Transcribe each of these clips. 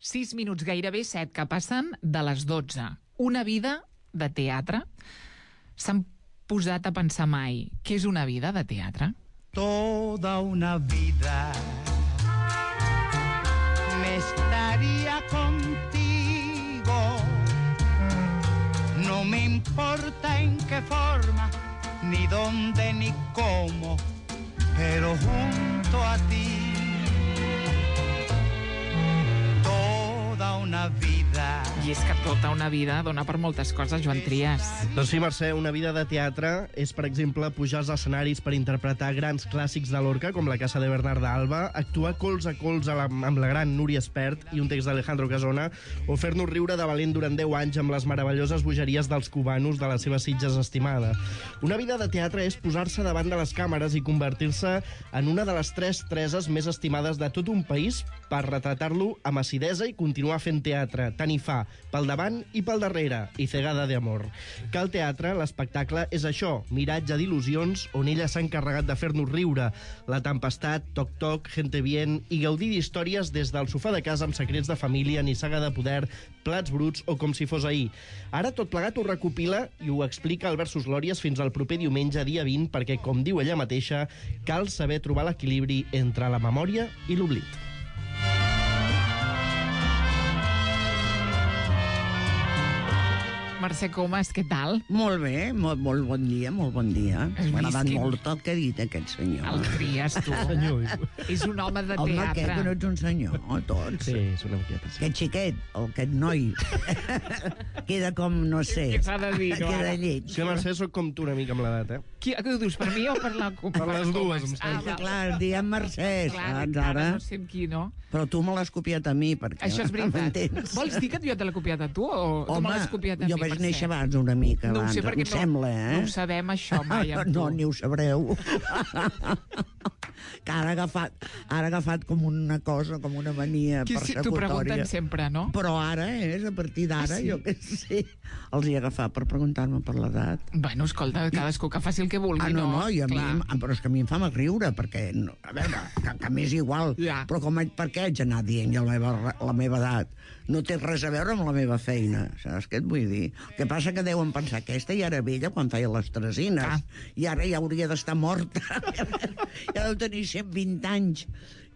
6 minuts, gairebé 7, que passen de les 12. Una vida de teatre. S'han posat a pensar mai què és una vida de teatre? Toda una vida me estaría contigo. No me importa en qué forma, ni dónde, ni cómo, pero junto a ti toda una vida. I és que tota una vida dona per moltes coses, Joan Trias. Doncs sí, Mercè, una vida de teatre és, per exemple, pujar als escenaris per interpretar grans clàssics de Lorca, com La Casa de Bernarda Alba, actuar colze a colze amb la gran Núria Espert i un text d'Alejandro Casona, o fer-nos riure de valent durant 10 anys amb les meravelloses bogeries dels cubanos de la seva Sitges estimada. Una vida de teatre és posar-se davant de les càmeres i convertir-se en una de les 3 Tereses més estimades de tot un país per retratar-lo amb acidesa i continuar fent teatre. Tant hi fa, pel davant i pel darrere, i cegada d'amor. Que el teatre, l'espectacle, és això, miratge d'il·lusions on ella s'ha encarregat de fer-nos riure. La tempestat, toc-toc, gente bien, i gaudir d'històries des del sofà de casa amb secrets de família, nissaga de poder, plats bruts o com si fos ahir. Ara tot plegat ho recopila i ho explica al Versus Glòries fins al proper diumenge, dia 20, perquè, com diu ella mateixa, cal saber trobar l'equilibri entre la memòria i l'oblit. Mercè Comas, què tal? Molt bé, molt bon dia, molt bon dia. M'ha agradat molt el que ha dit aquest senyor. El Trias, tu. És un home de teatre. Home, aquest que no ets un senyor, tots. Sí, és una miqueta. Aquest xiquet, aquest noi, queda com, no sé, Què s'ha de dir, no, queda ara? lleig. Sí, Mercè, soc com tu una mica amb l'edat, Què ho dius, per mi o per la Comas? Per les dues, em És que, clar, diem Mercè, Clar, saps, ara ara? no sé amb qui, no? Però tu me l'has copiat a mi, perquè... Això és veritat. m'entens? Vols dir que jo te l'he copiat a tu o tu me l'has copiat a mi? jo vaig Mercè? néixer abans una mica, No ho sé, abans, perquè em sembla, no ho sabem, això, mai, amb tu. No, ni ho sabreu. Que ara ha agafat com una cosa, com una mania Que sí, persecutòria. t'ho pregunten sempre, no? Però ara a partir d'ara, sí? jo què sé, els hi he agafat per preguntar-me per l'edat. Bueno, escolta, cadascú que faci el que vulgui, No, i a mi, Clar. però és que a mi em fa mal riure, perquè, a veure, que m'és igual, Ja. però per què haig d'anar dient ja la meva edat? No té res a veure amb la meva feina, saps què et vull dir? El que passa que deuen pensar, aquesta ja era vella quan feia les tresines, i ara ja hauria d'estar morta, ja deu tenir 120 anys,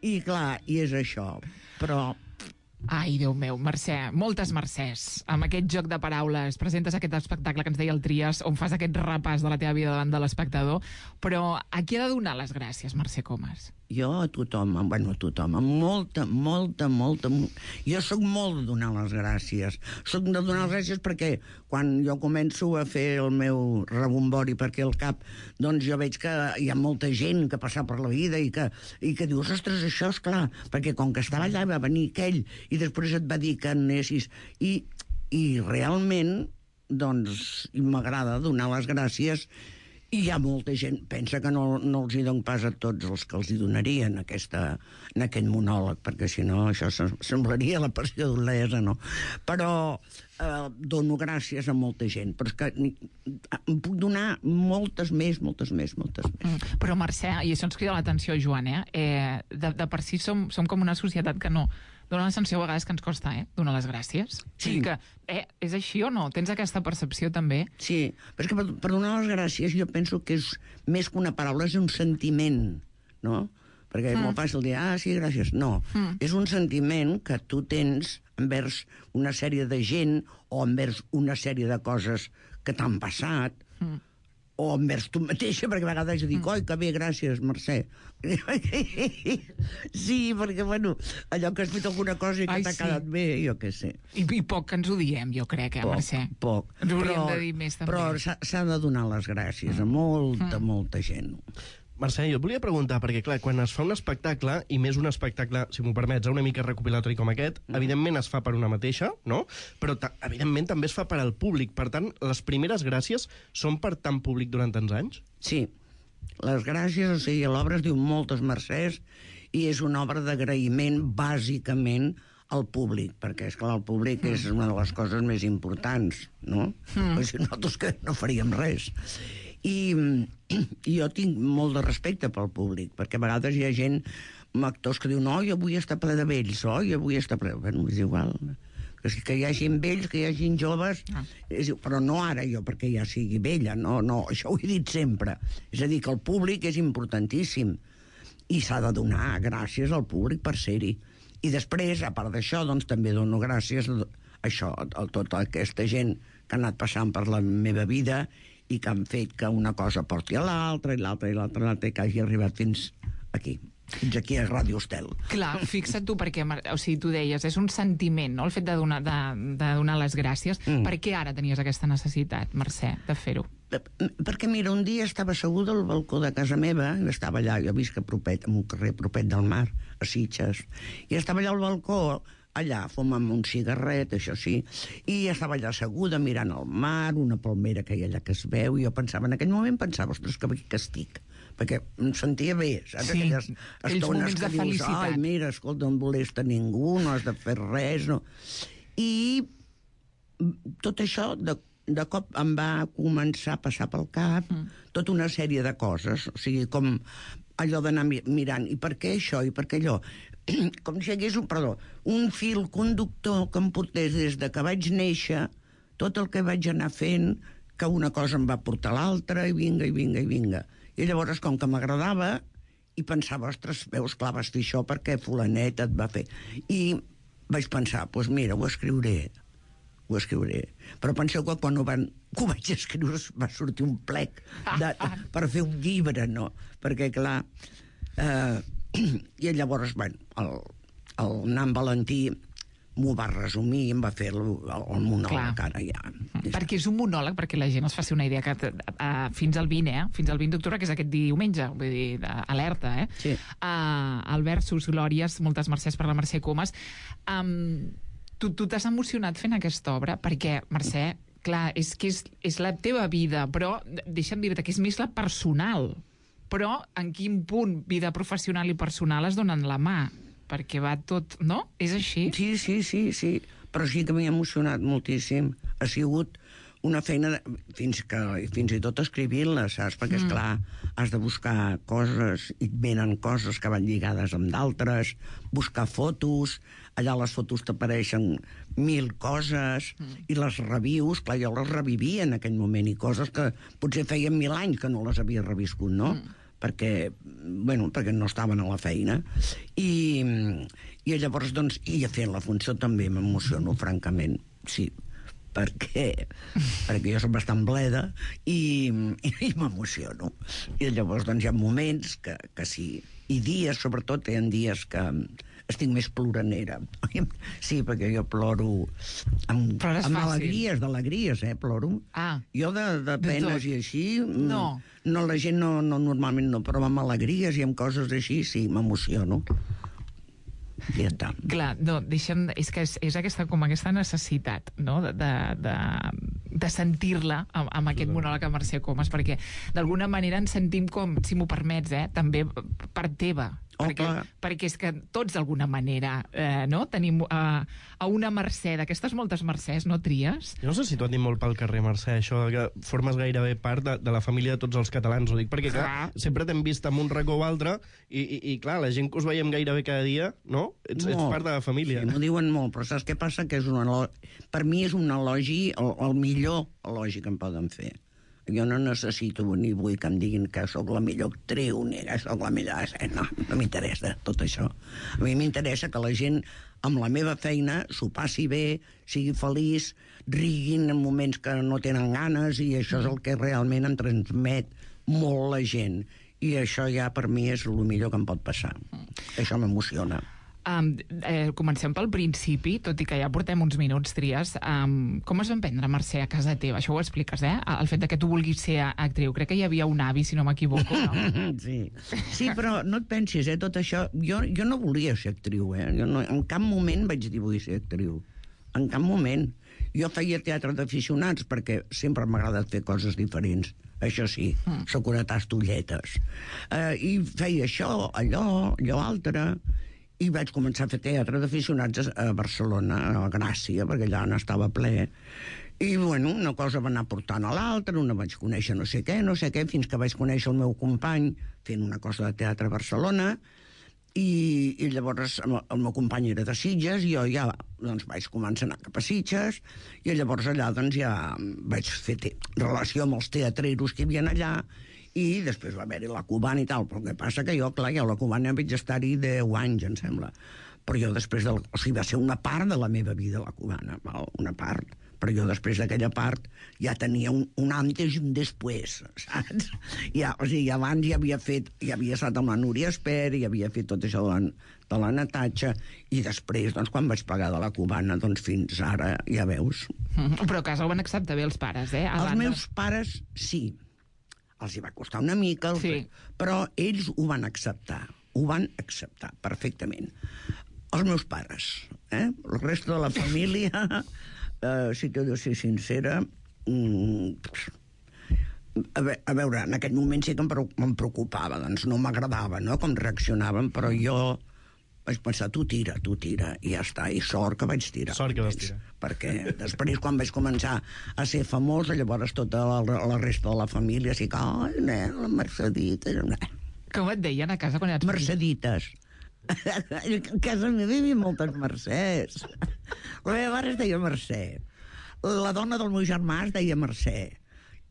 i clar, i és això, però... Ai, Déu meu, Mercè, moltes Mercès. Amb aquest joc de paraules presentes aquest espectacle que ens deia el Trias, on fas aquest repàs de la teva vida davant de l'espectador, però a qui ha de donar les gràcies, Mercè Comas? Jo a tothom, bueno, a tothom, amb molta... Jo sóc molt de donar les gràcies. Sóc de donar les gràcies perquè quan jo començo a fer el meu rebombori perquè al cap, doncs jo veig que hi ha molta gent que passa per la vida i que dius, ostres, això és clar, perquè com que estava allà va venir aquell i després et va dir que anessis i realment doncs m'agrada donar les gràcies. I hi ha molta gent, pensa que no els hi dono pas a tots els que els hi donarien en aquest monòleg, perquè si no això semblaria la passió d'Olesa, no? Però dono gràcies a molta gent, però és que em puc donar moltes més. Però Mercè, i això ens crida l'atenció, Joan, de per si som com una societat que no dona la sensació a vegades que ens costa donar les gràcies. Sí. Que, és així o no? Tens aquesta percepció també? Sí, però és que per donar les gràcies jo penso que és més que una paraula, és un sentiment, no? Perquè és molt fàcil dir, sí, gràcies. No, és un sentiment que tu tens envers una sèrie de gent o envers una sèrie de coses que t'han passat, o envers tu mateixa, perquè a vegades jo dic, oi, que bé, gràcies, Mercè. Sí, perquè, bueno, allò que has fet alguna cosa i que t'ha quedat bé, jo què sé. I poc que ens ho diem, jo crec, Mercè? Poc. Ens ho hauríem de dir més, també. Però s'ha de donar les gràcies a molta gent. Mercè, jo et volia preguntar, perquè clar, quan es fa un espectacle, i més un espectacle, si m'ho permets, una mica recopilatori com aquest, evidentment es fa per una mateixa, no? Però evidentment també es fa per al públic. Per tant, les primeres gràcies són per tant públic durant tants anys? Sí. Les gràcies, o sigui, l'obra es diu Moltes Mercès i és una obra d'agraïment, bàsicament, al públic, perquè, esclar, el públic és una de les coses més importants, no? Perquè si nosaltres que no faríem res. I jo tinc molt de respecte pel públic, perquè a vegades hi ha gent actors que diuen, oi, avui està ple de vells, oi, avui està ple... Bueno, és igual. Que hi hagi vells, que hi hagi joves, però no ara jo, perquè ja sigui vella, no, això ho he dit sempre. És a dir, que el públic és importantíssim i s'ha de donar gràcies al públic per ser-hi. I després, a part d'això, doncs també dono gràcies a això, a tota aquesta gent que ha anat passant per la meva vida i que han fet que una cosa porti a l'altra, i l'altra, i que hagi arribat fins aquí a Ràdio Estel. Clar, fixa't tu, perquè, o sigui, tu deies, és un sentiment, no?, el fet de donar les gràcies. Per què ara tenies aquesta necessitat, Mercè, de fer-ho? Perquè, mira, un dia estava asseguda al balcó de casa meva, estava allà, jo visc en un carrer propet del mar, a Sitges, i estava allà al balcó, allà, fumant un cigarret, això sí, i estava allà asseguda mirant el mar, una palmera que hi ha allà que es veu, i jo pensava, en aquell moment pensava, ostres, que estic, perquè em sentia bé, saps? Sí, aquelles estones que dius, felicitat. ai, mira, escolta, no molesta ningú, no has de fer res, no. I tot això, de cop em va començar a passar pel cap tota una sèrie de coses, o sigui, com allò d'anar mirant, i per què això, i per què allò? Com si hi hagués un fil conductor que em portés des de que vaig néixer, tot el que vaig anar fent, que una cosa em va portar l'altra, i vinga, i vinga, i vinga. I llavors, com que m'agradava, i pensava, ostres, veus, clar, vas fer això perquè fulanet et va fer. I vaig pensar, doncs mira, ho escriuré. Però penseu que quan ho vaig escriure va sortir un plec per fer un llibre, no? Perquè, clar... I llavors, bueno, el nan Valentí m'ho va resumir i em va fer el monòleg, ara ja. Perquè és un monòleg, perquè la gent es faci una idea, que fins al 20, fins al 20 d'octubre, que és aquest diumenge, vull dir, alerta, Sí. El versus Glòries, moltes mercès per la Mercè Comas. Tu t'has emocionat fent aquesta obra, perquè, Mercè, clar, és que és la teva vida, però deixa'm dir-te que és més la personal. Però en quin punt vida professional i personal es donen la mà? Perquè va tot... No? És així? Sí. Però sí que m'he emocionat moltíssim. Ha sigut una feina, fins i tot escrivint-la, saps? Perquè, esclar, has de buscar coses, i et venen coses que van lligades amb d'altres, buscar fotos, allà les fotos t'apareixen 1000 coses, i les revius, clar, jo les revivia en aquell moment, i coses que potser feien 1000 anys que no les havia reviscut, no? Perquè no estaven a la feina. I llavors, doncs, i fent la funció també m'emociono, francament, sí, perquè jo soc bastant bleda i m'emociono. I llavors, doncs, hi ha moments que sí, i dies, sobretot, hi ha dies que estic més ploranera. Sí, perquè jo ploro amb d'alegries, ploro. Jo de penes i així... No, la gent normalment no, però amb alegries i amb coses així, sí, m'emociono. Ja està. Clar, no, és que és aquesta necessitat, no?, de sentir-la amb aquest monòleg a Mercè Comas, perquè d'alguna manera ens sentim com, si m'ho permets, també part teva. Perquè és que tots d'alguna manera no? Tenim a una Mercè, d'aquestes moltes Mercès, no tries? Jo no sé si t'ho han dit molt pel carrer, Mercè, això que formes gairebé part de la família de tots els catalans, ho dic perquè clar, sempre t'hem vist en un racó o altre i clar, la gent que us veiem gairebé cada dia, no? Ets part de la família. Sí, m'ho diuen molt, però saps què passa? Que per mi és un elogi, el millor elogi que em poden fer. Jo no necessito ni vull que em diguin que sóc la millor actriu ni que sóc la millor... No m'interessa tot això. A mi m'interessa que la gent amb la meva feina s'ho passi bé, sigui feliç, riguin en moments que no tenen ganes, i això és el que realment em transmet molt la gent. I això ja per mi és el millor que em pot passar. Això m'emociona. Comencem pel principi, tot i que ja portem uns minuts, Tries. Com es van prendre, Mercè, a casa teva? Això ho expliques, el fet que tu vulguis ser actriu. Crec que hi havia un avi, si no m'equivoco, no? Sí, però no et pensis, tot això... Jo no volia ser actriu, Jo en cap moment vaig dir vull ser actriu. En cap moment. Jo feia teatre d'aficionats perquè sempre m'ha agradat fer coses diferents. Això sí, soc una tastolletes. I feia això, allò altre... I vaig començar a fer teatre d'aficionats a Barcelona, a Gràcia, perquè allà n'estava ple. I, bueno, una cosa va anar portant a l'altra, una vaig conèixer no sé què, fins que vaig conèixer el meu company fent una cosa de teatre a Barcelona, I llavors el meu company era de Sitges, i jo ja doncs, vaig començar a anar cap a Sitges, i llavors allà doncs, ja vaig fer relació amb els teatreros que hi havia allà, i després va haver-hi la Cubana i tal, però el que passa que jo, clar, a la Cubana vaig estar-hi 10 anys, em sembla. Però jo després, o sigui, va ser una part de la meva vida, la Cubana, una part. Però jo després d'aquella part ja tenia un antes i un després, saps? O sigui, abans ja havia estat amb la Núria Espert, i havia fet tot això de la Natatxa, i després, doncs, quan vaig pagar de la Cubana, doncs fins ara, ja veus. Però a casa ho van acceptar bé els pares, eh? Els meus pares, sí. Els hi va costar una mica, però ells ho van acceptar perfectament. Els meus pares, el resto de la família... si t'he de ser sincera, a veure, en aquell moment sí que em preocupava, doncs no m'agradava, no?, com reaccionaven, però jo vaig pensar, tu tira, i ja està, i sort que vaig tirar. Sort que vas tirar. Perquè després, quan vaig començar a ser famós, llavors tota la resta de la família, sí que, la Mercedita... Com et deien a casa quan eres Mercedites. A casa meva hi havia moltes Mercès. La meva mare es deia Mercè. La dona del meu germà es deia Mercè.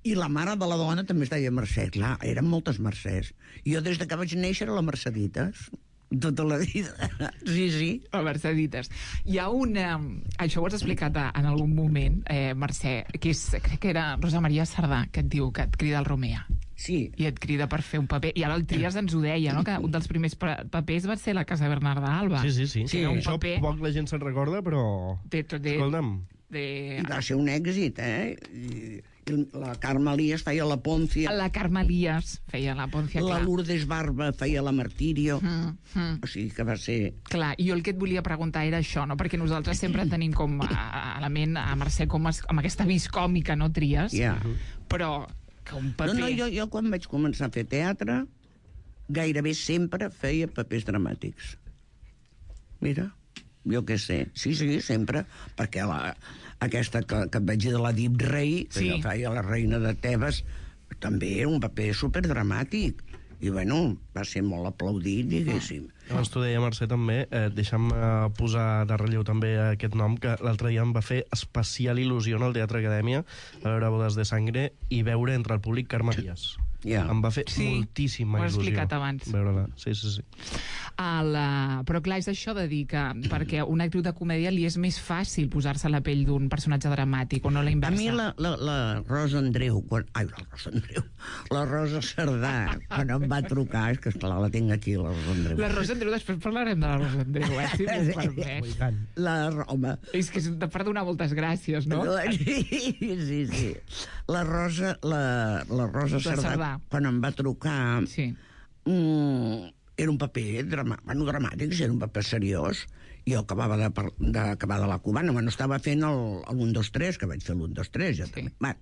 I la mare de la dona també es deia Mercè. Clar, eren moltes Mercès. I jo des que vaig néixer a la Mercedites. Tota la vida. Sí. A Mercedites. Hi ha una... Això ho has explicat en algun moment, Mercè, que crec que era Rosa Maria Sardà, que et diu que et crida el Romea. Sí. I et crida per fer un paper. I ara el Trias ens ho deia, no?, que un dels primers papers va ser la Casa Bernarda Alba. Sí. Això paper... poc la gent se'n recorda, però... Escolta'm. I va ser un èxit, I la Carme Elias feia la Pòncia. La Carme Elias feia la Pòncia, clar. La Lourdes Barba feia la Martirio. O sigui que va ser... Clar, i jo el que et volia preguntar era això, no?, perquè nosaltres sempre tenim com a la ment a Mercè com amb aquesta vis còmica, no, Trias? Però... No, jo quan vaig començar a fer teatre gairebé sempre feia papers dramàtics. Mira, jo què sé. Sí, sempre, perquè aquesta que et vaig dir de la Dip Rei, que jo feia la reina de Tebes, també era un paper superdramàtic. I, bueno, va ser molt aplaudit, diguéssim. Abans t'ho deia, Mercè, també. Deixa'm posar de relleu també aquest nom, que l'altre dia em va fer especial il·lusió en el Teatre Acadèmia a veure Bodes de Sangre i veure entre el públic Carme Elias. Em va fer moltíssima il·lusió. Ho has explicat abans. Veure-la, sí. Però clar, és això de dir que perquè una actriu de comèdia li és més fàcil posar-se a la pell d'un personatge dramàtic, o no la inversa. A mi la Rosa Andreu, la Rosa Cerdà, quan em va trucar, és que esclar, la tinc aquí, la Rosa Andreu. La Rosa Andreu, després parlarem de la Rosa Andreu, si m'ho permets. Home... És que és per donar moltes gràcies, no? Sí. La Rosa Cerdà, quan em va trucar, era un paper dramàtic, era un paper seriós. Jo acabava d'acabar de la Cubana, estava fent el 1, 2, 3, que vaig fer l'1, 2, 3, ja també.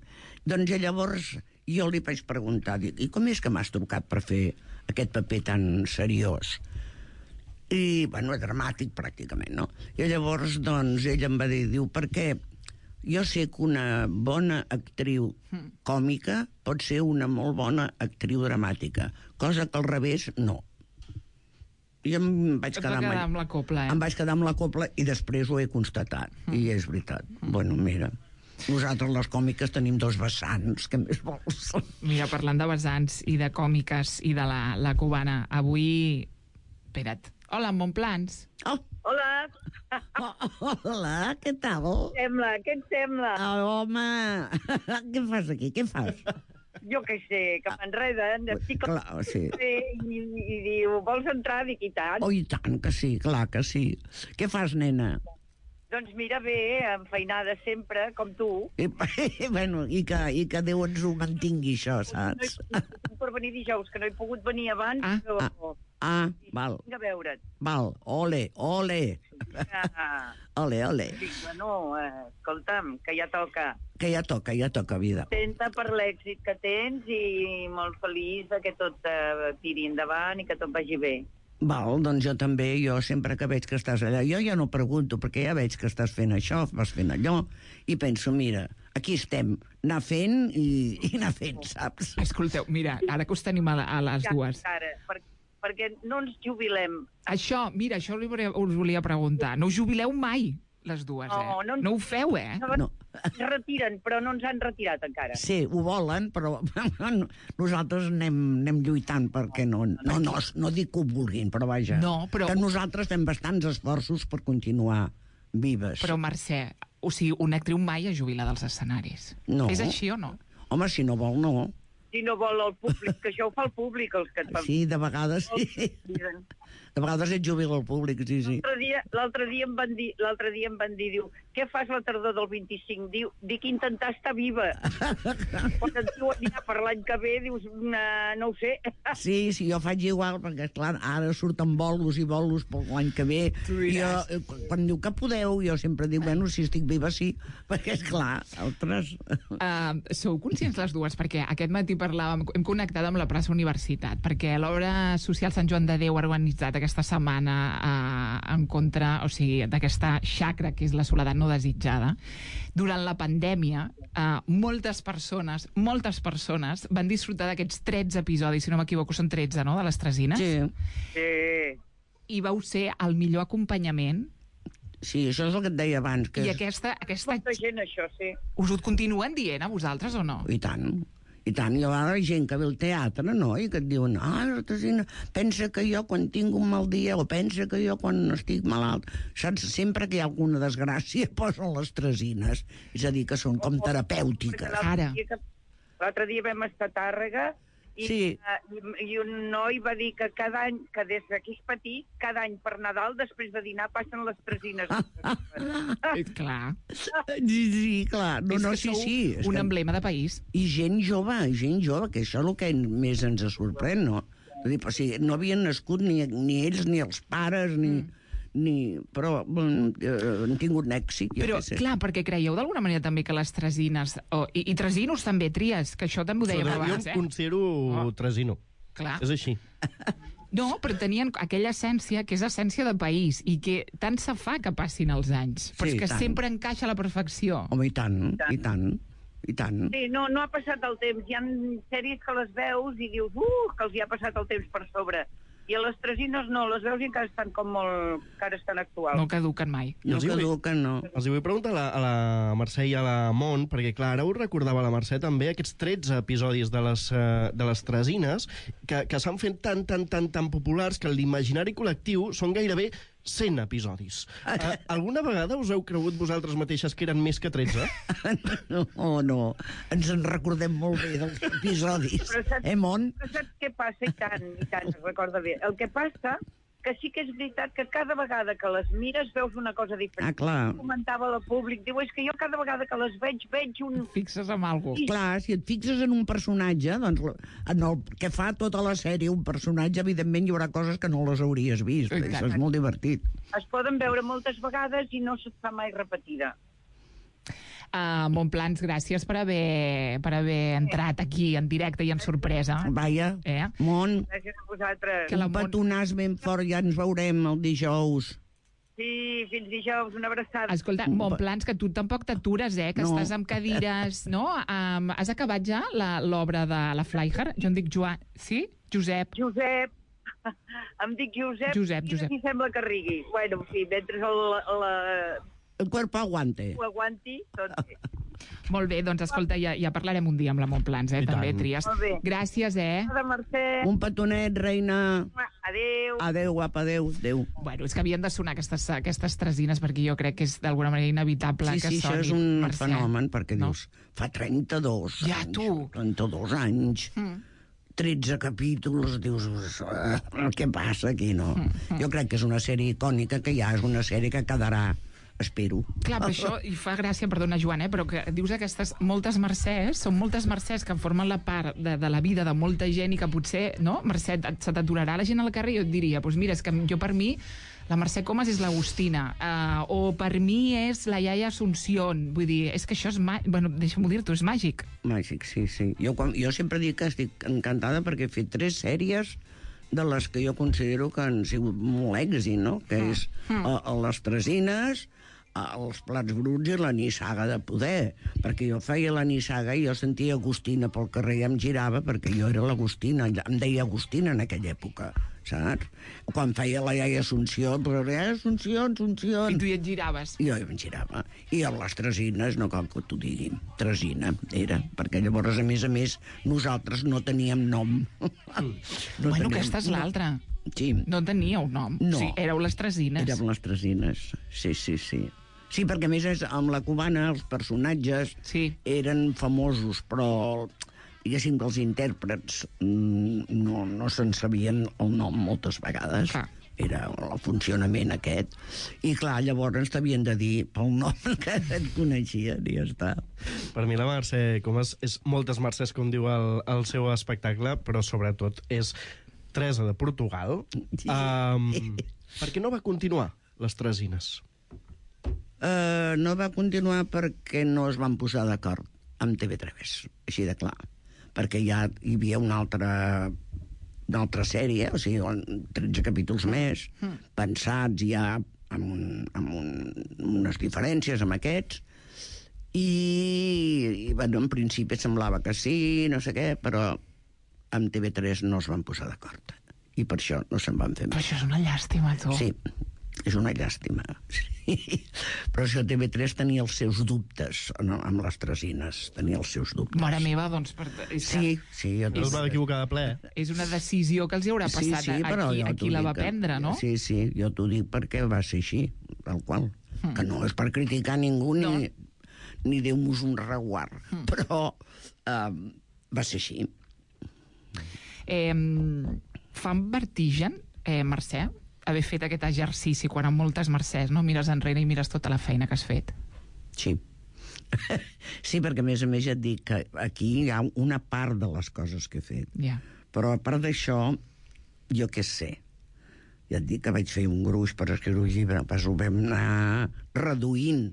Doncs llavors jo li vaig preguntar, i com és que m'has trucat per fer aquest paper tan seriós? I, dramàtic pràcticament, no? I llavors, doncs, ell em va dir, perquè jo sé que una bona actriu còmica pot ser una molt bona actriu dramàtica, cosa que al revés no. I em vaig quedar amb la copla, Em vaig quedar amb la copla i després ho he constatat. I és veritat. Bueno, mira, nosaltres les còmiques tenim 2 vessants, què més vols? Mira, parlant de vessants i de còmiques i de la cubana, avui... Espera't. Hola, en Montplans. Oh! Hola. Hola, què tal? Què et sembla? Home, què fas aquí? Què fas? Jo què sé, que m'enreden. Clar, sí. I diu, vols entrar? Dic, i tant. Oh, i tant que sí, clar que sí. Què fas, nena? Doncs mira, bé, enfeinada sempre, com tu. I que Déu ens ho mantingui, això, saps? No he pogut per venir dijous, que no he pogut venir abans, però... val. Vinc a veure't. Val, ole. Ole. Dic, escolta'm, que ja toca. Que ja toca, vida. Contenta per l'èxit que tens i molt feliç que tot tiri endavant i que tot vagi bé. Val, doncs jo també, jo sempre que veig que estàs allà, jo ja no pregunto, perquè ja veig que estàs fent això, vas fent allò, i penso, mira, aquí estem, anar fent i anar fent, saps? Escolteu, mira, ara que us tenim a les dues... Ara, perquè no ens jubilem. Això, mira, això us volia preguntar. No us jubileu mai, les dues, No ho feu, No. Es retiren, però no ens han retirat encara. Sí, ho volen, però nosaltres anem lluitant perquè no dic que ho vulguin, però vaja. No, però... Que nosaltres fem bastants esforços per continuar vives. Però, Mercè, o sigui, una actriu mai es jubila dels escenaris. No. És així o no? Home, si no vol, no. Si no vol el públic, que això ho fa el públic, els que et fan... Sí, de vegades sí. De vegades et jubila el públic, sí. L'altre dia em van dir, diu, què fas la tardor del 25? Dic intentar estar viva. Quan et diuen ja per l'any que ve, dius, no ho sé. Sí, jo faig igual, perquè, clar, ara surten bolos i bolos per l'any que ve. Jo, quan diu que podeu, jo sempre dic, bueno, si estic viva, sí, perquè, és clar, altres... Sou conscients les dues? Perquè aquest matí hem connectat amb la plaça Universitat, perquè l'obra social Sant Joan de Déu ha organitzat aquesta setmana en contra, o sigui, d'aquesta xacra que és la soledat no desitjada. Durant la pandèmia, moltes persones van disfrutar d'aquests 13 episodis, si no m'equivoco, són 13, no?, de les Tresines. Sí. I vau ser el millor acompanyament. Sí, això és el que et deia abans. I aquesta... Molta gent, això, sí. Us ho continuen dient a vosaltres o no? I tant. I tant, hi ha gent que ve al teatre, no?, i que et diuen, Tresina, pensa que jo quan tinc un mal dia, o pensa que jo quan estic malalt, saps, sempre que hi ha alguna desgràcia posen les Tresines. És a dir, que són com terapèutiques. Ara. L'altre dia vam estar a Tàrrega i un noi va dir que cada any, que des que és petit, cada any per Nadal, després de dinar, passen les Tresines. Clar. Sí, clar. Sí. Un emblema de país. I gent jove, que això és el que més ens sorprèn, no? O sigui, no havien nascut ni ells, ni els pares, però han tingut un èxit, però, clar, perquè creieu d'alguna manera també que les Tresines, i Tresinos també, Tries, que això també ho dèiem abans, Jo em considero Tresino. Clar. És així. No, però tenien aquella essència que és essència de país i que tant se fa que passin els anys, però és que sempre encaixa a la perfecció. Home, i tant. Sí, no ha passat el temps. Hi ha sèries que les veus i dius, que els hi ha passat el temps per sobre. I a les Tresines no, les veus i encara estan com molt... encara estan actuals. No caduquen mai. No caduquen, no. Els vull preguntar a la Mercè i a la Mont, perquè clar, ara us recordava la Mercè també aquests 13 episodis de les Tresines que s'han fet tan populars que l'imaginari col·lectiu són gairebé 100 episodis. Alguna vegada us heu cregut vosaltres mateixes que eren més que 13? No. Ens en recordem molt bé dels episodis. Mont? Però saps què passa? I tant, es recorda bé. El que passa que sí que és veritat que cada vegada que les mires veus una cosa diferent. Clar. Comentava al públic, diu, és que jo cada vegada que les veig un... Fixes en alguna cosa. Clar, si et fixes en un personatge, doncs en el que fa tota la sèrie un personatge, evidentment hi haurà coses que no les hauries vist. Això és molt divertit. Es poden veure moltes vegades i no se't fa mai repetida. Montplans, gràcies per haver entrat aquí en directe i en sorpresa. Vaja, Mont, gràcies a vosaltres. un petonàs ben fort, ja ens veurem el dijous. Sí, fins dijous, una abraçada. Escolta, Montplans, que tu tampoc t'atures, que estàs amb cadires, no? Has acabat ja l'obra de la Fleijer? Jo em dic Joan... Sí? Josep. Em dic Josep. Josep. I sembla que rigui. Bueno, sí, mentre el cuerpo aguante. Ho aguanti, tot bé. Molt bé, doncs escolta, ja parlarem un dia amb la Montplans, també, Tries. Molt bé. Gràcies, Mercè. Un petonet, reina. Adéu. Adéu, guapa, adéu. Bueno, és que havien de sonar aquestes Tresines, perquè jo crec que és d'alguna manera inevitable que sonin. Sí, això és un fenomen, perquè dius, fa 32 anys. Ja, tu. 32 anys. 13 capítols, dius, què passa aquí, no? Jo crec que és una sèrie icònica, que ja és una sèrie que quedarà, espero. Clar, però això, i fa gràcia, perdona, Joan, però que dius aquestes moltes Mercès, són moltes Mercès que formen la part de la vida de molta gent i que potser, no, Mercè, se t'aturarà la gent al carrer i jo et diria, doncs mira, és que jo per mi la Mercè Comas és l'Agustina, o per mi és la iaia Asunción, vull dir, és que això és bueno, deixa'm-ho dir-t'ho, és màgic. Màgic, sí. Jo sempre dic que estic encantada perquè he fet 3 sèries de les que jo considero que han sigut molt èxit, no? Que és Les Tresines, els plats bruts i la nissaga de poder, perquè jo feia la nissaga i jo sentia Agustina pel carrer i em girava, perquè jo era l'Agustina, em deia Agustina en aquella època, saps? Quan feia la iaia Assumpció, però iaia Assumpció... I tu hi et giraves. I jo em girava. I amb les tresines, no cal que t'ho diguin, tresina era, perquè llavors, a més, nosaltres no teníem nom. Bueno, aquesta és l'altra. Sí. No teníeu nom. No. Sí, éreu les tresines. Érem les tresines, sí. Sí, perquè a més amb la cubana els personatges eren famosos, però diguéssim que els intèrprets no se'n sabien el nom moltes vegades. Era el funcionament aquest. I clar, llavors t'havien de dir pel nom que et coneixien i ja està. Per mi la Mercè Comas és moltes Mercès, com diu el seu espectacle, però sobretot és Teresa de Portugal. Per què no va continuar les tresines? No va continuar perquè no es van posar d'acord amb TV3, així de clar. Perquè ja hi havia una altra sèrie, o sigui, 13 capítols més, pensats ja amb unes diferències amb aquests, i bueno, en principi semblava que sí, no sé què, però amb TV3 no es van posar d'acord. I per això no se'n van fer més. Però això és una llàstima, tu. Sí, és una llàstima. Sí. Però això TV3 tenia els seus dubtes amb les tresines. Tenia els seus dubtes. Mare meva, doncs... Sí. No es va equivocar de ple. És una decisió que els hi haurà passat a qui la va prendre, no? Sí, jo t'ho dic perquè va ser així, tal qual. Que no és per criticar ningú ni Déu-nos un reguard. Però va ser així. Fa vertigen, Mercè, haver fet aquest exercici quan amb moltes Mercès no mires enrere i mires tota la feina que has fet? Sí. Sí, perquè a més ja et dic que aquí hi ha una part de les coses que he fet. Però a part d'això, jo què sé, ja et dic que vaig fer un gruix per escriure un llibre, ho vam anar reduint,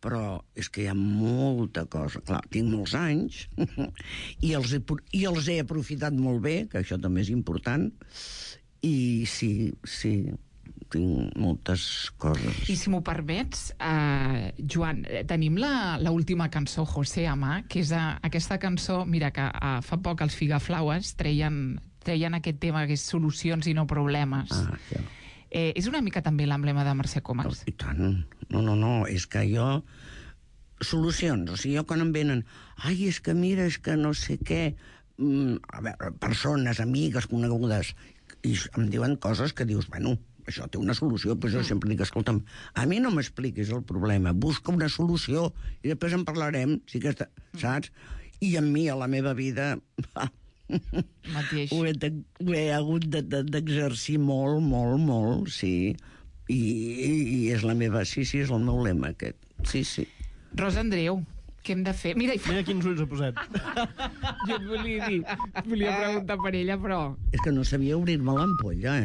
però és que hi ha molta cosa. Clar, tinc molts anys i els he aprofitat molt bé, que això també és important, i sí, tinc moltes coses. I si m'ho permets, Joan, tenim l'última cançó, José Amá, que és aquesta cançó, mira, que fa poc els Figaflaues treien aquest tema que és solucions i no problemes. És una mica també l'emblema de Mercè Comas. I tant. No, és que jo... Solucions, o sigui, jo quan em venen... Ai, és que mira, és que no sé què... A veure, persones, amigues, conegudes, i em diuen coses que dius, bueno, això té una solució, però jo sempre dic, escolta'm, a mi no m'expliquis el problema, busca una solució i després en parlarem, saps? I a mi, a la meva vida... Mateix. Ho he hagut d'exercir molt, sí. I és la meva... Sí, és el meu lema, aquest. Sí. Rosa Andreu, què hem de fer? Mira quins ulls ha posat. Jo et volia preguntar per ella, però... És que no sabia obrir-me l'ampolla,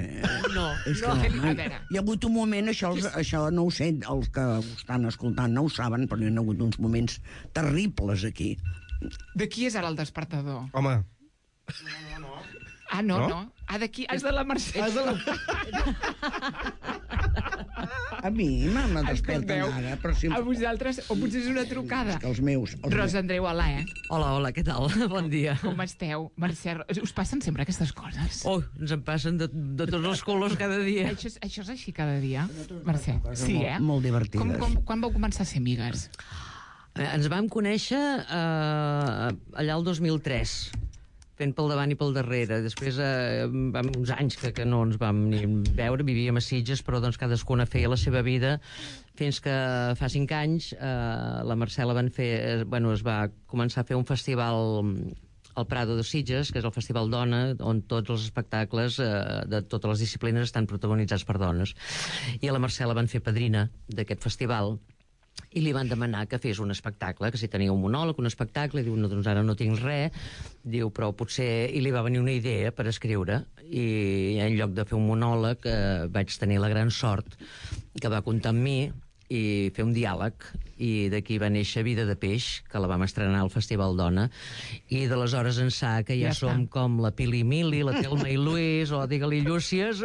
No, a veure. Hi ha hagut un moment, això no ho sé, els que ho estan escoltant no ho saben, però hi ha hagut uns moments terribles aquí. De qui és ara el despertador? Home... No. D'aquí, és de la Mercè. A mi me desperten ara, però si... A vosaltres, o potser és una trucada. És que els meus... Rosa Andreu, hola, Hola, què tal? Bon dia. Com esteu? Mercè, us passen sempre aquestes coses? Ens en passen de tots els colors cada dia. Això és així cada dia, Mercè? Sí, Molt divertides. Quan vau començar a ser amigues? Ens vam conèixer allà el 2003, fent pel davant i pel darrere. Després, uns anys que no ens vam ni veure, vivíem a Sitges, però doncs cadascuna feia la seva vida, fins que fa 5 anys la Mercè es va començar a fer un festival al Prado de Sitges, que és el Festival Dona, on tots els espectacles de totes les disciplines estan protagonitzats per dones. I a la Mercè la van fer padrina d'aquest festival, i li van demanar que fes un espectacle, que si tenia un monòleg, un espectacle, i diu, no, doncs ara no tinc res, diu, però potser... I li va venir una idea per escriure, i en lloc de fer un monòleg vaig tenir la gran sort que va comptar amb mi i fer un diàleg, i d'aquí va néixer Vida de Peix, que la vam estrenar al Festival Dona, i d'aleshores ençà que ja som com la Pili Mili, la Telma i Luis, o digue-li Llúcies.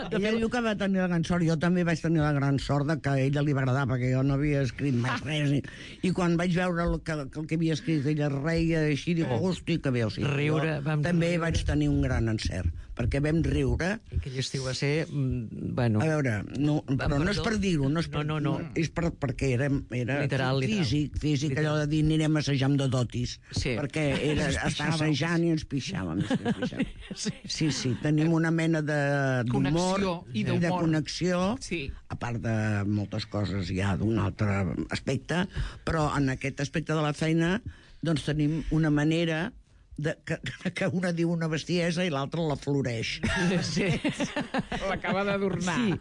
Ella diu que va tenir la gran sort, jo també vaig tenir la gran sort de que a ella li va agradar, perquè jo no havia escrit mai res, i quan vaig veure el que havia escrit ella reia així, dic, hosti, que bé, o sigui, Riure, també vaig tenir un gran encert, perquè vam riure. Aquell estiu va ser... Bueno, a veure, però no és per dir-ho, no. És perquè era Literal. físic, allò de dir anirem a assajar amb de dotis, perquè era estar assajant i ens pixàvem. Sí, tenim una mena d'humor i de connexió, a part de moltes coses ja d'un altre aspecte, però en aquest aspecte de la feina doncs tenim una manera que una diu una bestiesa i l'altra la floreix. Sí. L'acaba d'adornar. Sí.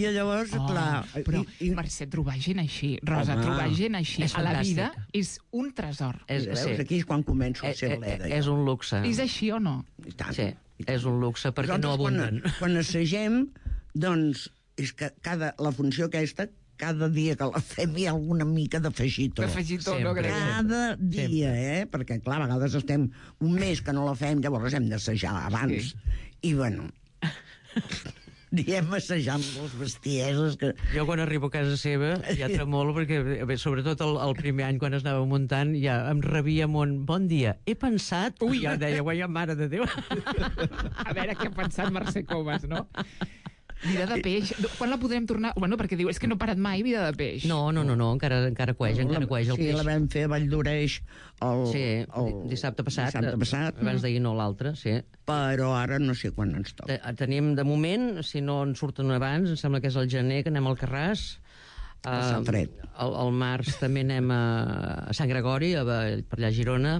I llavors, clar... Però, Mercè, trobar gent així, Rosa, trobar gent així a la vida és un tresor. Veus, aquí és quan començo a ser bleda. És un luxe. És així o no? Sí, és un luxe perquè no abunden. Quan assagem, doncs, és que la funció aquesta, cada dia que la fem hi ha alguna mica d'afegitó. D'afegitó, no crec. Cada dia, perquè, clar, a vegades estem un mes que no la fem, llavors hem d'assajar abans. I, bueno, diem assajar amb les bestieses que... Jo quan arribo a casa seva ja tremolo perquè, sobretot el primer any quan es anava muntant, ja em rebia amb un bon dia. He pensat... Ui, ja deia, guaia, mare de Déu. A veure què ha pensat Mercè Comas, no? Vida de Peix, quan la podrem tornar? Bueno, perquè diu, és que no ha parat mai Vida de Peix. No, encara cueix el peix. Sí, la vam fer a Valldoreix dissabte passat. Abans d'ahir no l'altre, sí. Però ara no sé quan ens toca. Tenim, de moment, si no en surten abans, em sembla que és el gener, que anem al Carràs. A Sant Fred. Al març també anem a Sant Gregori, per allà a Girona.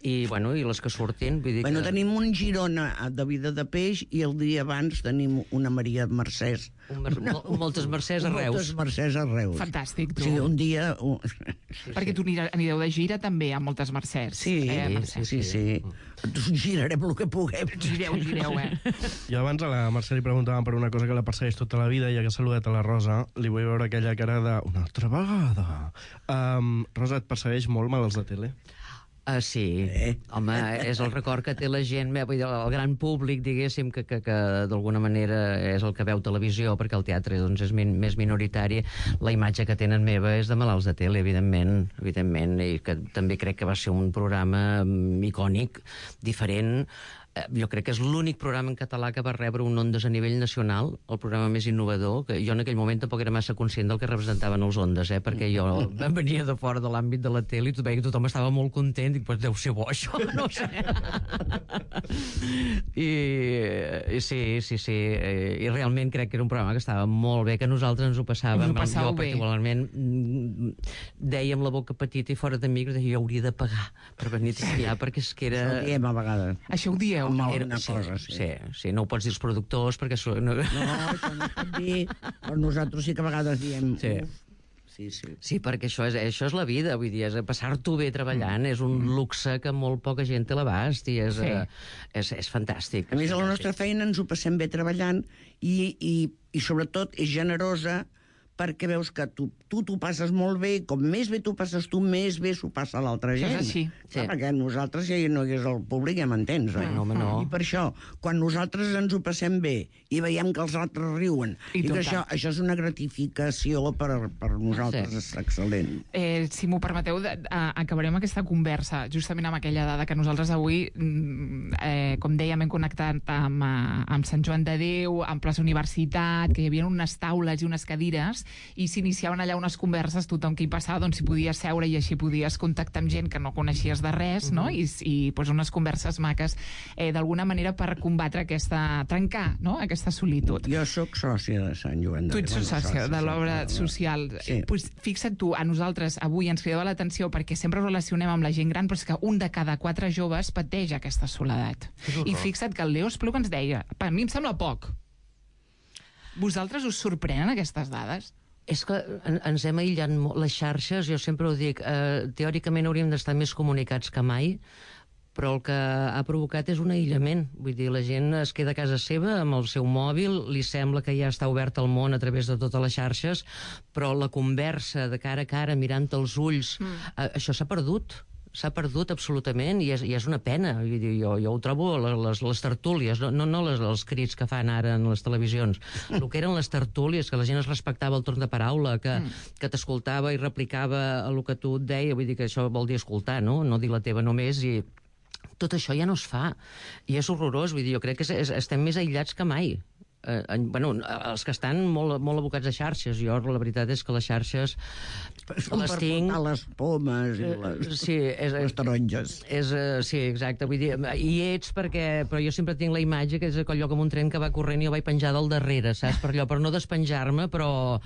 I les que surtin, vull dir que... Tenim un Girona de Vida de Peix i el dia abans tenim una Maria Mercès. Moltes Mercès a Reus. Moltes Mercès a Reus. Fantàstic, tu. Sí, un dia... Perquè tu anireu de gira també amb moltes Mercès. Sí. Girarem el que puguem. Gireu, Jo abans a la Mercè li preguntàvem per una cosa que la persegueix tota la vida, i ja que ha saludat a la Rosa, li vull veure aquella cara de... Una altra vegada. Rosa, et persegueix molt malalts de tele? Sí, home, és el record que té la gent, vull dir, el gran públic, diguéssim, que d'alguna manera és el que veu televisió, perquè el teatre doncs, és més minoritari. La imatge que tenen meva és de malalts de tele, evidentment, i que també crec que va ser un programa icònic, diferent. Jo crec que és l'únic programa en català que va rebre un Ondes a nivell nacional, el programa més innovador, que jo en aquell moment tampoc era massa conscient del que representaven els Ondes, perquè jo venia de fora de l'àmbit de la tele i veia que tothom estava molt content, i dic, pues deu ser bo això, no sé. I sí, i realment crec que era un programa que estava molt bé, que nosaltres ens ho passàvem. Jo particularment dèiem la boca petita i fora d'amics, jo hauria de pagar per venir a triar, perquè és que era... Això ho diem a vegades. Això ho dieu? Sí, no ho pots dir als productors perquè... No, això no es pot dir, però nosaltres sí que a vegades diem... Sí, perquè això és la vida, vull dir, és passar-t'ho bé treballant, és un luxe que molt poca gent té a l'abast, i és fantàstic. A més, a la nostra feina ens ho passem bé treballant i sobretot és generosa, perquè veus que tu t'ho passes molt bé, com més bé t'ho passes tu, més bé s'ho passa a l'altra gent. És així. Perquè nosaltres, si no hi és el públic, ja m'entens, oi? No. I per això, quan nosaltres ens ho passem bé i veiem que els altres riuen, i que això és una gratificació per nosaltres, és excel·lent. Si m'ho permeteu, acabarem aquesta conversa justament amb aquella dada que nosaltres avui, com dèiem, hem connectat amb Sant Joan de Déu, amb Plaça Universitat, que hi havia unes taules i unes cadires, i s'iniciaven allà unes converses, tothom que hi passava doncs, s'hi podia seure i així podies contactar amb gent que no coneixies de res, no? I doncs, unes converses maques d'alguna manera per combatre trencar, no? Aquesta solitud. Jo sóc sòcia de Sant Joan de Déu. Tu ets sòcia de l'obra social. Sí. Pues, fixa't tu, a nosaltres avui ens cridava l'atenció perquè sempre ho relacionem amb la gent gran, però és que un de cada 4 joves pateix aquesta soledat. I fixa't que el Leo Espluga ens deia, a mi em sembla poc. Vosaltres us sorprenen aquestes dades? És que ens hem aïllat molt. Les xarxes, jo sempre ho dic, teòricament hauríem d'estar més comunicats que mai, però el que ha provocat és un aïllament. Vull dir, la gent es queda a casa seva amb el seu mòbil, li sembla que ja està obert al món a través de totes les xarxes, però la conversa de cara a cara, mirant els ulls, això s'ha perdut. S'ha perdut absolutament i és una pena. Vull dir, jo ho trobo les tertúlies, no els crits que fan ara en les televisions. El que eren les tertúlies, que la gent es respectava el torn de paraula, que t'escoltava i replicava el que tu et deia, vull dir que això vol dir escoltar, no dir la teva només, i tot això ja no es fa. I és horrorós, vull dir, jo crec que estem més aïllats que mai. Els que estan molt abocats a xarxes. Jo, la veritat és que les xarxes les tinc... Per les pomes i les taronges. Sí, exacte. Vull dir, hi ets però jo sempre tinc la imatge que és aquell lloc amb un tren que va corrent i jo vaig penjar del darrere, saps? Per no despenjar-me, però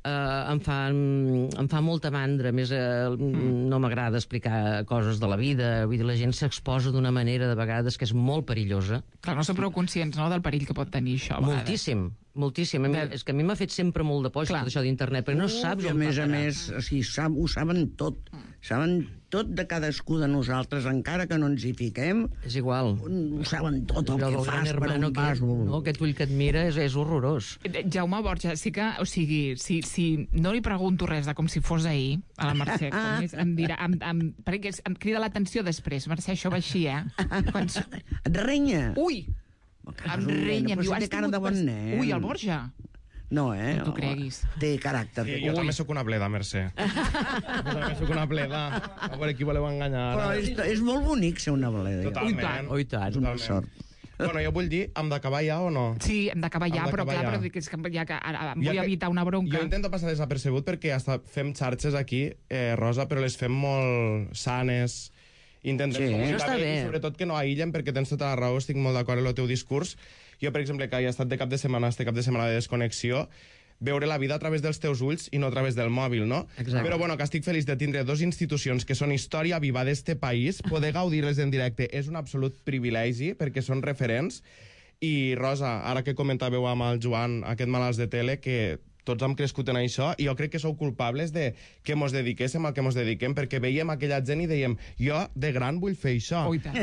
em fa molta mandra. A més, no m'agrada explicar coses de la vida. Vull dir, la gent s'exposa d'una manera, de vegades, que és molt perillosa. Clar, no som prou conscients, no?, del perill que pot tenir això. Moltíssim. És que a mi m'ha fet sempre molt de por tot això d'internet, perquè no saps on va parar. A més, ho saben tot. Saben tot de cadascú de nosaltres, encara que no ens hi fiquem. És igual. Ho saben tot el que fas, per on vas. Aquest ull que et mira és horrorós. Jaume Borja, sí que, o sigui, si no li pregunto res de com si fos ahir, a la Mercè, em dirà, perquè em crida l'atenció després. Mercè, això va així, Et renya? Ui! Em renya, em diu, has tingut... Ui, el Borja! No, no t'ho creguis. Té caràcter. Sí, jo també sóc una bleda, Mercè. Jo també sóc una bleda. A veure qui voleu enganyar. Però és molt bonic ser una bleda. Totalment. Oh, i tant. És una sort. Bueno, jo vull dir, hem d'acabar ja o no? Sí, hem d'acabar ja, però clar, però és que ja que ara vull evitar una bronca. Jo intento passar desapercebut perquè hasta fem xarxes aquí, Rosa, però les fem molt sanes. Intentem comunicar bé i sobretot que no aïllen, perquè tens tota la raó, estic molt d'acord amb el teu discurs. Jo, per exemple, que he estat de cap de setmana de desconnexió, veure la vida a través dels teus ulls i no a través del mòbil, no? Exacte. Però bueno, que estic feliç de tindre dos institucions que són història viva d'este país, poder gaudir-les en directe és un absolut privilegi, perquè són referents. I, Rosa, ara que comentàveu amb el Joan, aquest malalts de tele, que tots hem crescut en això, i jo crec que sou culpables de que mos dediquéssim al que mos dediquem, perquè veiem aquella gent i dèiem, jo de gran vull fer això. Oh, i tant.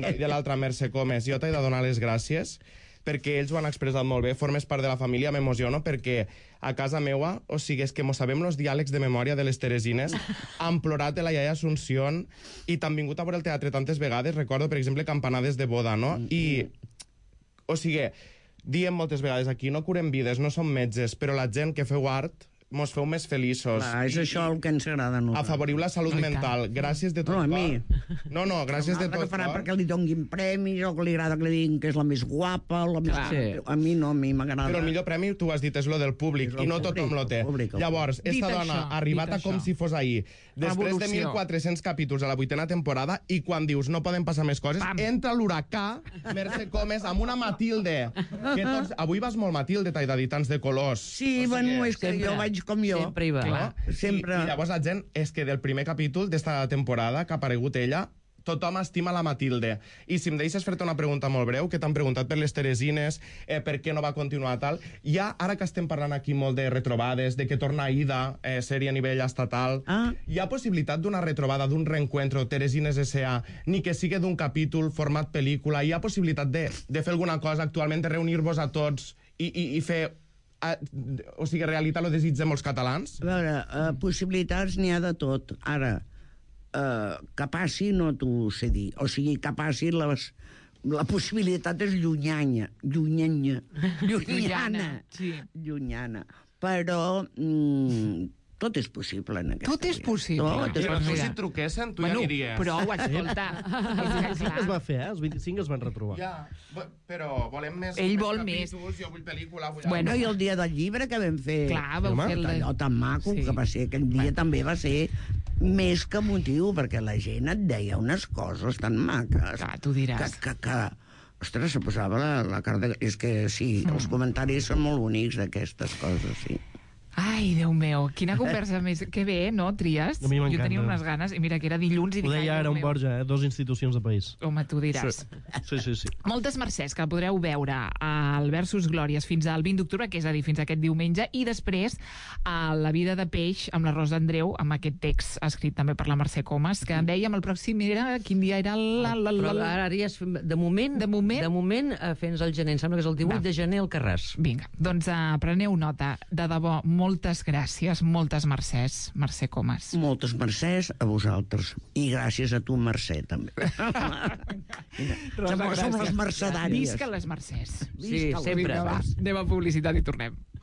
I de l'altra, Mercè Comes, jo t'he de donar les gràcies, perquè ells ho han expressat molt bé, formes part de la família, m'emociono, perquè a casa meua, o sigui, és que mos sabem els diàlegs de memòria de les Teresines, han plorat de la iaia Asunción, i t'han vingut a veure el teatre tantes vegades, recordo, per exemple, campanades de boda, no? I, o sigui, diem moltes vegades aquí, no curem vides, no som metges, però la gent que feu art mos feu més feliços. Clar, és això el que ens agrada a nosaltres. Afavoriu la salut mental. Gràcies de tot cor. No, a mi. No, gràcies de tot cor. Farà cor. perquè li donguin premis, o que li agrada que li diguin que és la més guapa, la més... Sí. A mi no, a mi m'agrada. Però el millor premi, tu has dit, és lo del públic, i no tothom lo té. Llavors, esta dona ha arribat a com si fos ahir, després de 1.400 capítols a la 8ª temporada, i quan dius no poden passar més coses, entra l'huracà, Mercè Comes, amb una Matilde. Que tots... Avui vas molt Matilde, t'he de dir, tants de colors. Sí, bueno, és que jo vaig com jo. Sempre hi va. Sempre. I llavors la gent, és que del primer capítol d'esta temporada que ha aparegut ella, tothom estima la Matilde. I si em deixes fer-te una pregunta molt breu, que t'han preguntat per les Teresines, per què no va continuar tal, ja, ara que estem parlant aquí molt de retrobades, de que torna Aida, sèrie a nivell estatal, hi ha possibilitat d'una retrobada, d'un reencuentro Teresines S.A., ni que sigui d'un capítol, format pel·lícula, hi ha possibilitat de fer alguna cosa actualment, de reunir-vos a tots i fer... o sigui, realitat lo desig de molts catalans? A veure, possibilitats n'hi ha de tot. Ara, que passi no t'ho sé dir. O sigui, que passi la possibilitat és llunyana. Sí. Llunyana. Però tot és possible en aquesta Tot és possible. Tot és Però tu possible. si et truquessin, tu ja aniries. Prou, escolta. Els 25 es va fer, Els 25 es van retrobar. Ja, però volem més... Ell vol més. Capítols, jo vull pel·lícula, vull... Bueno. No, i el dia del llibre que vam fer... Clar, vau fer allò tan maco, Sí. que va ser aquell dia, també va ser més que motiu, perquè la gent et deia unes coses tan maques. Clar, tu diràs. Que ostres, se posava la cara de... És que sí, els comentaris són molt bonics d'aquestes coses, sí. Ai, Déu meu, quina conversa més... Que bé, no, Trias? A mi m'encanta. Jo tenia unes ganes, i mira que era dilluns i Ho dic... deia ai, ara Déu un meu. Borja, 2 institucions de país. Home, tu diràs. Sí. Moltes mercès que podreu veure al Versus Glòries fins al 20 d'octubre, que és a dir, fins aquest diumenge, i després a La vida de peix amb la Rosa Andreu, amb aquest text escrit també per la Mercè Comas, que dèiem el pròxim era... Quin dia era Però ara ja és... De moment, fins al gener. Em sembla que és el 18 de gener al Carràs. Vinga, doncs preneu nota. De debò, moltes gràcies, moltes mercès, Mercè Comas. Moltes mercès a vosaltres. I gràcies a tu, Mercè, també. Som les mercedàries. Visca les mercès. Sí, sempre. Vinga, va, anem a publicitat i tornem.